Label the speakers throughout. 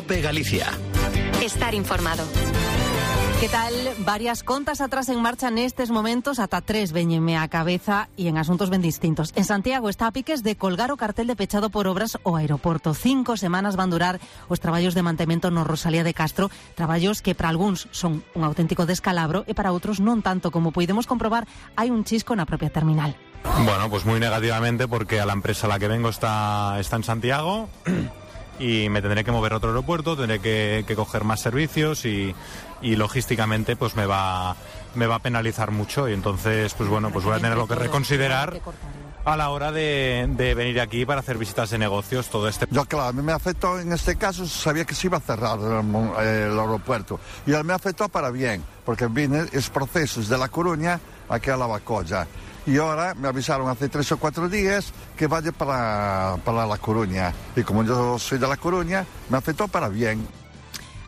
Speaker 1: COPE Galicia.
Speaker 2: Estar informado.
Speaker 3: Que tal? Varias contas atrás en marcha nestes momentos, ata 3 véñenme á cabeza e en asuntos ben distintos. En Santiago está a piques de colgar o cartel de pechado por obras ao aeroporto. 5 semanas van durar os traballos de mantemento no Rosalía de Castro, traballos que para algúns son un auténtico descalabro e para outros non tanto. Como podemos comprobar, hai un chisco na propia terminal.
Speaker 4: Bueno, pues muy negativamente, porque a la empresa a la que vengo está en Santiago y me tendré que mover a otro aeropuerto, tendré que coger más servicios y logísticamente pues me va a penalizar mucho, y entonces pues bueno, pues voy a tenerlo que reconsiderar a la hora de venir aquí para hacer visitas de negocios, todo este...
Speaker 5: Yo, claro, a mí me afectó en este caso, sabía que se iba a cerrar el aeropuerto, y a mí me afectó para bien, porque vine es procesos de La Coruña aquí a Lavacolla. Y ahora me avisaron hace 3 o 4 días que vaya para La Coruña. Y como yo soy de La Coruña, me afectó para bien.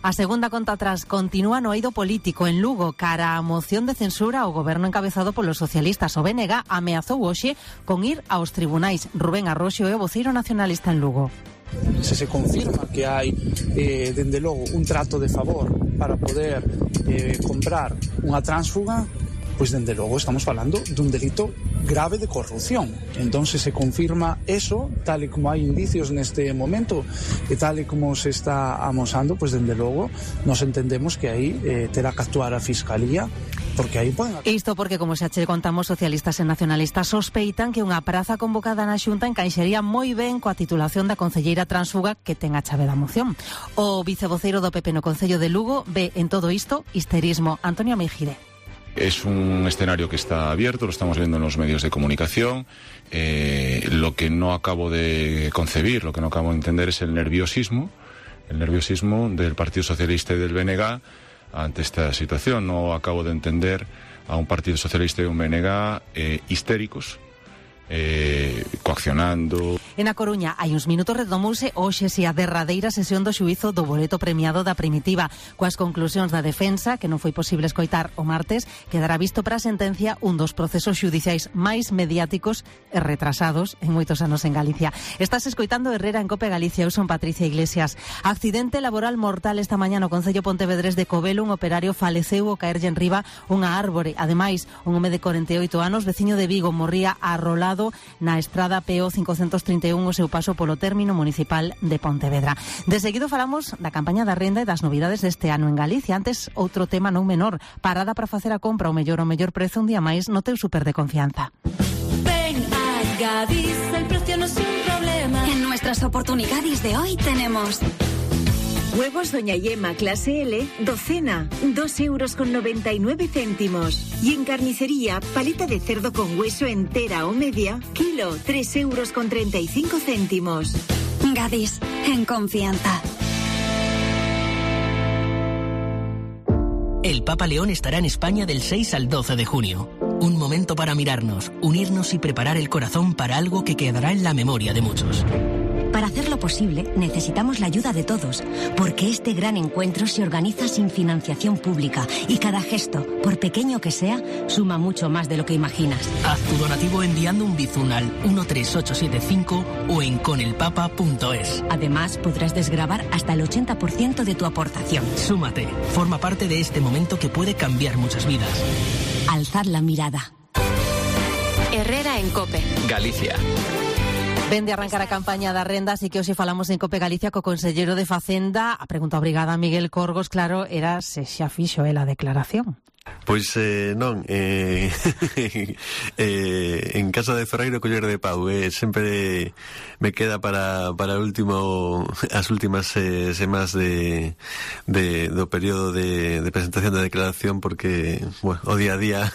Speaker 3: A segunda conta atrás continúa no eido político en Lugo cara a moción de censura ao goberno encabezado polos socialistas. O BNG ameazou hoxe con ir aos tribunais. Rubén Arroxo é o voceiro nacionalista en Lugo.
Speaker 6: Se confirma que hai, dende logo, un trato de favor para poder comprar unha tránsfuga, pois dende logo estamos falando dun delito grave de corrupción. Entón, se confirma eso, tal e como hai indicios neste momento e tal e como se está amosando, pois dende logo nos entendemos que aí terá que actuar a Fiscalía, porque aí poden...
Speaker 3: Isto porque, como xa che contamos, socialistas e nacionalistas sospeitan que unha praza convocada na Xunta encaixaría moi ben coa titulación da concelleira tránsfuga que ten a chave da moción. O vicevoceiro do PP no Concello de Lugo ve en todo isto histerismo. Antonio Meijide.
Speaker 7: Es un escenario que está abierto, lo estamos viendo en los medios de comunicación. Lo que no acabo de concebir, lo que no acabo de entender es el nerviosismo del Partido Socialista y del BNG ante esta situación. No acabo de entender a un Partido Socialista y un BNG histéricos, coaccionando.
Speaker 3: En A Coruña hai uns minutos redomouse hoxe a derradeira sesión do xuízo do boleto premiado da Primitiva. Coas conclusións da defensa, que non foi posible escoitar o martes, quedará visto para a sentencia un dos procesos xudiciais máis mediáticos e retrasados en moitos anos en Galicia. Estás escoitando Herrera en COPE Galicia. Eu son Patricia Iglesias. Accidente laboral mortal esta mañá no Concello Pontevedrés de Covelo. Un operario faleceu ao caerlle enriba unha árbore. Ademais, un home de 48 anos, veciño de Vigo, morría arrolado na estrada PO 531 o seu paso polo término municipal de Pontevedra. De seguido falamos da campaña da renda e das novidades deste ano en Galicia. Antes, outro tema non menor, parada para facer a compra ao mellor prezo un día máis no teu super de confianza.
Speaker 8: Ven a Gadis, el precio no es un problema.
Speaker 2: En nuestras oportunidades de hoy tenemos...
Speaker 9: Huevos Doña Yema clase L, docena, 2,99 €. Y en carnicería, paleta de cerdo con hueso entera o media, kilo, 3,35 €.
Speaker 2: Gadis, en confianza.
Speaker 1: El Papa León estará en España del 6 al 12 de junio. Un momento para mirarnos, unirnos y preparar el corazón para algo que quedará en la memoria de muchos.
Speaker 10: Para hacerlo posible, necesitamos la ayuda de todos, porque este gran encuentro se organiza sin financiación pública y cada gesto, por pequeño que sea, suma mucho más de lo que imaginas.
Speaker 1: Haz tu donativo enviando un bizun al 13875 o en conelpapa.es.
Speaker 10: Además, podrás desgravar hasta el 80% de tu aportación.
Speaker 1: Súmate, forma parte de este momento que puede cambiar muchas vidas.
Speaker 10: Alzad la mirada.
Speaker 2: Herrera en COPE
Speaker 1: Galicia.
Speaker 3: Ven de arrancar a campaña da renda, así que hoxe falamos en COPE Galicia co conselleiro de Facenda. A pregunta obrigada a Miguel Corgos, claro, era se xa fixo a declaración.
Speaker 11: Pois non, en casa de Ferreiro coller de pau, sempre me queda para as últimas semanas do período de presentación da declaración, porque bueno, o día a día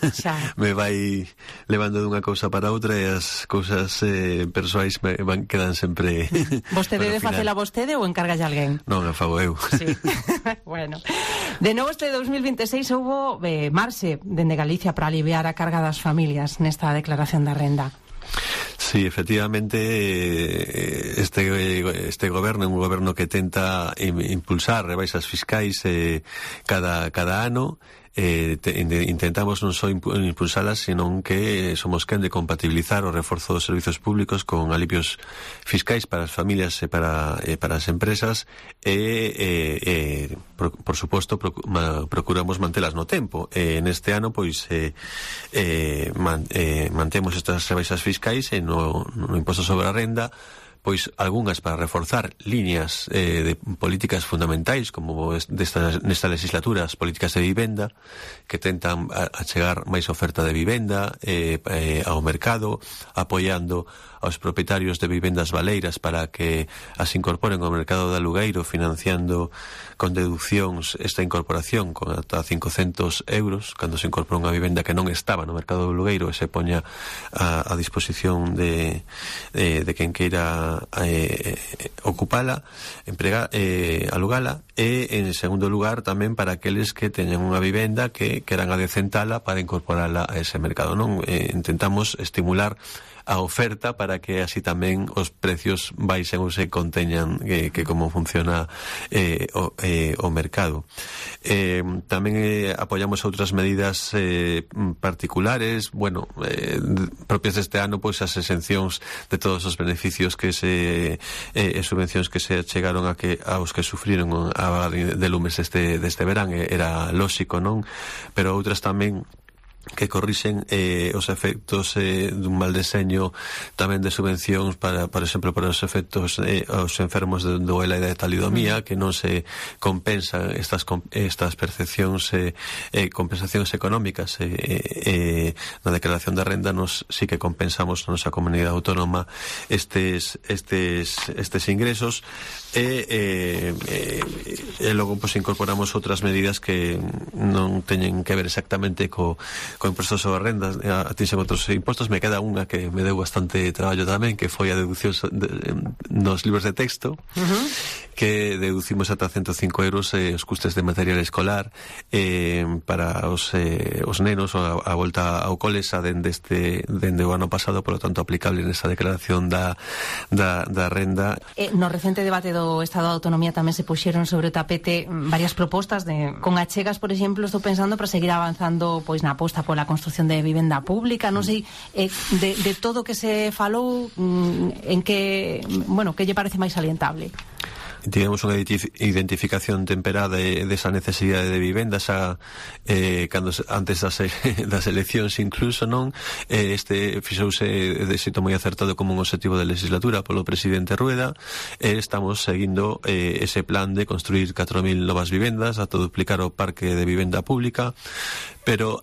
Speaker 11: me vai levando dunha cousa para outra e as cousas persoais quedan sempre.
Speaker 3: Vostede debe facela vostede ou encargalle alguén?
Speaker 11: Non, a fago eu.
Speaker 3: Sí. Bueno, de novo este 2026 houbo marxe dende Galicia para aliviar a carga das familias nesta declaración da renda.
Speaker 11: Sí, efectivamente, este goberno é un goberno que tenta impulsar rebaixas fiscais cada ano, intentamos non só impulsalas, senón que somos quen de compatibilizar o reforzo dos servizos públicos con alivios fiscais para as familias e para as empresas por suposto procuramos mantelas no tempo. Neste ano pois mantemos estas rebaixas fiscais e no imposto sobre a renda pois algunhas para reforzar líneas de políticas fundamentais como nesta legislatura as políticas de vivenda que tentan achegar máis oferta de vivenda ao mercado, apoiando aos propietarios de vivendas baleiras para que as incorporen ao mercado de alugueiro, financiando con deduccións esta incorporación con ata 500 euros cando se incorpora unha vivenda que non estaba no mercado de alugueiro e se poña a disposición de quen queira ocupala, alugala, e en segundo lugar tamén para aqueles que teñen unha vivenda que queran adecentala para incorporala a ese mercado, non? Intentamos estimular a oferta para que así tamén os precios baixen ou se conteñan que como funciona o mercado. Tamén apoiamos outras medidas particulares, propias deste ano, pois as exencións de todos os beneficios que subvencións que se chegaron aos que sufriron a vaga de lumes deste verán, era lóxico, non? Pero outras tamén que corrixen os efectos dun mal deseño tamén de subvencións por exemplo, para os efectos aos enfermos de ELA e de talidomía, que non se compensan estas percepcións compensacións económicas na declaración de renda. Nos sí que compensamos na nosa comunidade autónoma estes ingresos e logo pues incorporamos outras medidas que non teñen que ver exactamente co imposto sobre a renda, atinxen outros impostos. Me queda unha que me deu bastante traballo tamén, que foi a deducción nos libros de texto, que deducimos ata 105 euros os custes de material escolar para os nenos a volta ao cole dende o ano pasado, por lo tanto aplicable nesa declaración da renda.
Speaker 3: No recente debate do Estado de Autonomía tamén se puxeron sobre o tapete varias propostas con achegas, por exemplo, estou pensando para seguir avanzando pois na aposta pola construción de vivenda pública, non sei de todo o que se falou, en que lle parece máis salientable?
Speaker 11: Tivemos unha identificación temperada desa necesidade de vivenda cando antes das eleccións incluso, non? Fixouse de xeito moi acertado como un objetivo de legislatura polo presidente Rueda. Estamos seguindo ese plan de construir 4.000 novas vivendas, ata duplicar o parque de vivenda pública, pero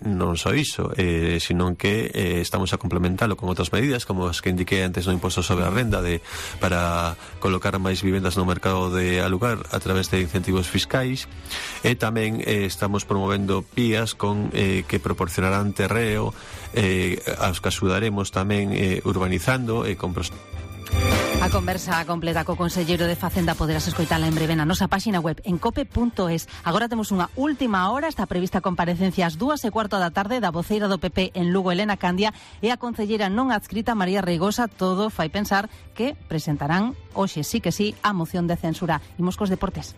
Speaker 11: non só iso, sino que estamos a complementalo con outras medidas como as que indiquei antes no imposto sobre a renda para colocar máis vivendas no mercado de alugar a través de incentivos fiscais, e tamén estamos promovendo PIAs que proporcionarán terreo aos que axudaremos tamén urbanizando e con
Speaker 3: A conversa completa co conselleiro de Facenda poderás escoitala en breve na nosa páxina web en cope.es. Agora temos unha última hora, está prevista comparecencia ás 2:15 da tarde da voceira do PP en Lugo, Elena Candia, e a concelleira non adscrita María Reigosa. Todo fai pensar que presentarán hoxe sí que sí a moción de censura. Imos cos deportes.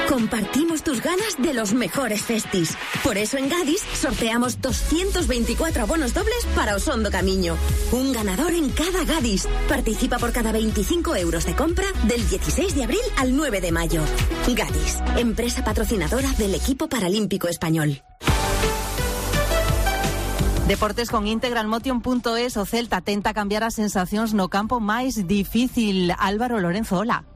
Speaker 12: Compartimos tus ganas de los mejores festis. Por eso en Gadis sorteamos 224 abonos dobles para Osondo Camiño. Un ganador en cada Gadis. Participa por cada 25 euros de compra del 16 de abril al 9 de mayo. Gadis, empresa patrocinadora del equipo paralímpico español.
Speaker 3: Deportes con integralmotion.es. O Celta tenta cambiar as sensacións no campo máis difícil. Álvaro Lorenzo, hola.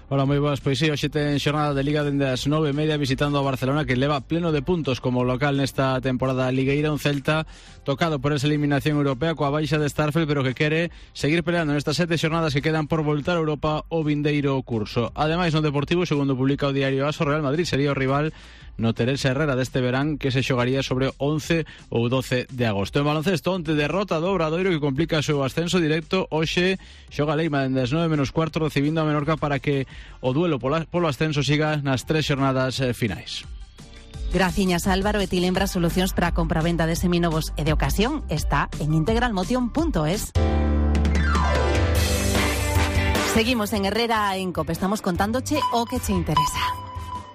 Speaker 13: Hola, moi boas. Pois sí, hoxe ten xornada de Liga dende as 9:30 visitando a Barcelona, que leva pleno de puntos como local nesta temporada ligueira. Un Celta tocado por esa eliminación europea coa baixa de Starfel, pero que quere seguir peleando nestas 7 xornadas que quedan por voltar a Europa o vindeiro curso. Ademais, no Deportivo, segundo publica o diario AS, o Real Madrid sería o rival no Teresa Herrera deste verán, que se xogaría sobre 11 ou 12 de agosto. En baloncesto, onte derrota do Obradoiro que complica o seu ascenso directo. Hoxe xoga Leima dende as 9:15 recibindo a Menorca para que o duelo polo ascenso siga nas 3 xornadas finais.
Speaker 3: Graciñas, Álvaro. E ti lembra solucións para a compravenda de seminovos e de ocasión está en integralmotion.es. Seguimos en Herrera en COPE. Estamos contándoche o que che interesa.